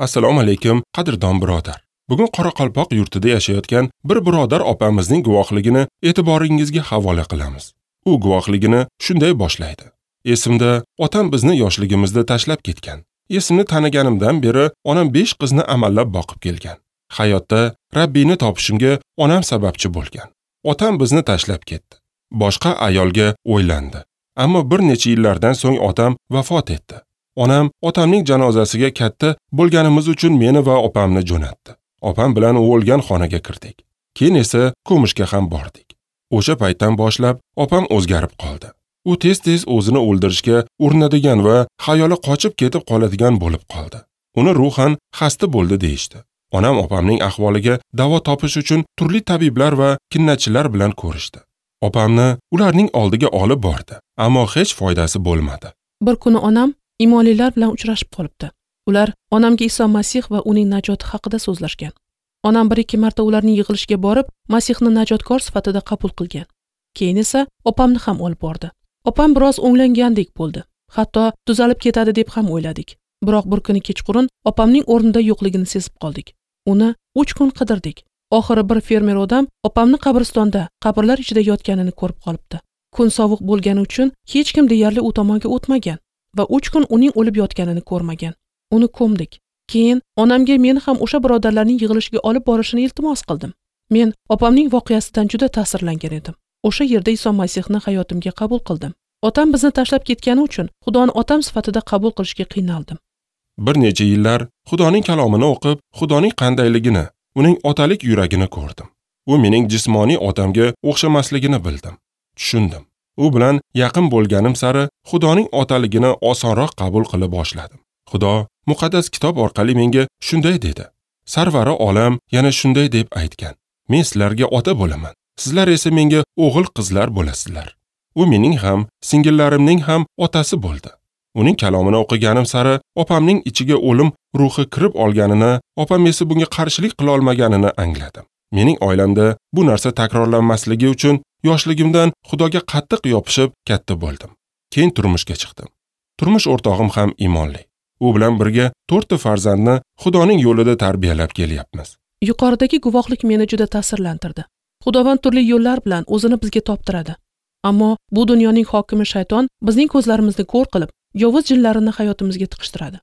Assalomu alaykum, qadrdon birodar. Bugun Qoraqalpoq yurtida yashayotgan bir birodar opamizning guvohligini e'tiboringizga havola qilamiz. U guvohligini shunday boshlaydi. Esimda, otam bizni yoshligimizda tashlab ketgan. Esimni taniganimdan beri onam 5 qizni amallab boqib kelgan. Hayotda Rabbini topishimga onam sababchi bo'lgan. Otam bizni tashlab ketdi. Boshqa ayolga o'ylandi. Ammo bir necha yillardan so'ng otam vafot etdi. Onam otamning janozasiga katta bo'lganimiz uchun meni va opamni jo'natdi. Opam bilan u o'lgan xonaga kirdik. Keyin esa ko'mishga ham bordik. O'sha paytdan boshlab opam o'zgarib qoldi. U tez-tez o'zini o'ldirishga urinadigan va xayoli qochib ketib qoladigan bo'lib qoldi. Uni ruhan xasta bo'ldi deyishdi. Onam opamning ahvoliga davo topish uchun turli tabiblar va kinnachilar bilan ko'rishdi. Opamni ularning oldiga olib bordi, ammo hech foydasi bo'lmadi. Bir kuni onam imonlilar bilan uchrashib qolibdi. Ular onamga Iso Masih va uning najoti haqida so'zlashgan. Onam 1-2 marta ularning yig'ilishiga borib, Masihni najotkor sifatida qabul qilgan. Keyin esa opamni ham olib bordi. Opam biroz o'nglangandek bo'ldi. Hatto tuzalib ketadi deb ham o'yladik. Biroq bir kuni kechqurun opamning o'rnida yo'qligini sezib qoldik. Uni 3 kun qidirdik. Oxiri bir fermer odam opamni qabristonda, qabrlar ichida yotganini ko'rib qolibdi. Kun sovuq bo'lgani uchun hech kim deyarli u tomonga o'tmagan va 3 kun uning o'lib yotganini ko'rmagan. Uni ko'mdik. Keyin onamga meni ham o'sha birodarlarning yig'ilishiga olib borishini iltimos qildim. Men opamning voqeasidan juda ta'sirlangan edim. O'sha yerda Iso Masihni hayotimga qabul qildim. Otam bizni tashlab ketgani uchun Xudoni otam sifatida qabul qilishga qiynaldim. Bir necha yillar Xudoning kalomini o'qib, Xudoning qandayligini, uning otalik yuragini ko'rdim. U mening jismoniy otamga o'xshamasligini bildim, tushundim. U bilan yaqin bo'lganim sari Xudoning otaligini osonroq qabul qila boshladim. Xudo muqaddas kitob orqali menga shunday dedi. Sarvari olam yana shunday deb aytgan. Men sizlarga ota bo'laman. Sizlar esa menga o'g'il qizlar bo'lasizlar. U mening ham, singillarimning ham otasi bo'ldi. Uning kalomini o'qiganim sari opamning ichiga o'lim ruhi kirib olganini, opam esa bunga qarshilik qila olmaganini angladim. Mening oilamda bu narsa takrorlanmasligi uchun yoshligimdan Xudoga qattiq yopishib katta bo'ldim. Keyin turmushga chiqdim. Turmush o'rtog'im ham iymonli. U bilan birga 4 ta farzandni Xudoning yo'lida tarbiyalab kelyapmiz. Yuqoridagi guvohlik meni juda ta'sirlantirdi. Xudovand turli yo'llar bilan o'zini bizga toptiradi. Ammo bu dunyoning hokimi shayton bizning ko'zlarimizni ko'r qilib, yovuz jinlarini hayotimizga tiqishtiradi.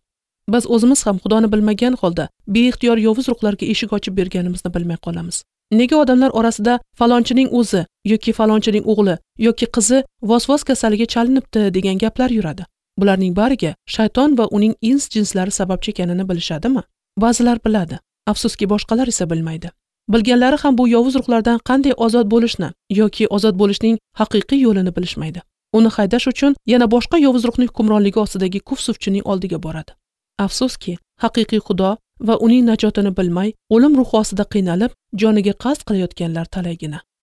Biz o'zimiz ham Xudoni bilmagan holda beixtiyor yovuz ruhlarga eshik ochib berganimizni bilmay qolamiz. Nega odamlar orasida falonchining o'zi yoki falonchining o'g'li yoki qizi vasvas kasaliga chalinibdi degan gaplar yuradi? Bularning bariga shayton va uning ins jinslari sababchi ekanini bilishadimi? Ba'zilar biladi, afsuski boshqalar esa bilmaydi. Bilganlari ham bu yovuz ruhlardan qanday ozod bo'lishni yoki ozod bo'lishning haqiqiy yo'lini bilishmaydi. Uni haydash uchun yana boshqa yovuz ruhning hukmronligi ostidagi kufsuvchining oldiga boradi. Afsuski, haqiqiy Xudo va uning najotini bilmay, o'lim ruhi ostida qiynalib, joniga qasd qilayotganlar talaygina.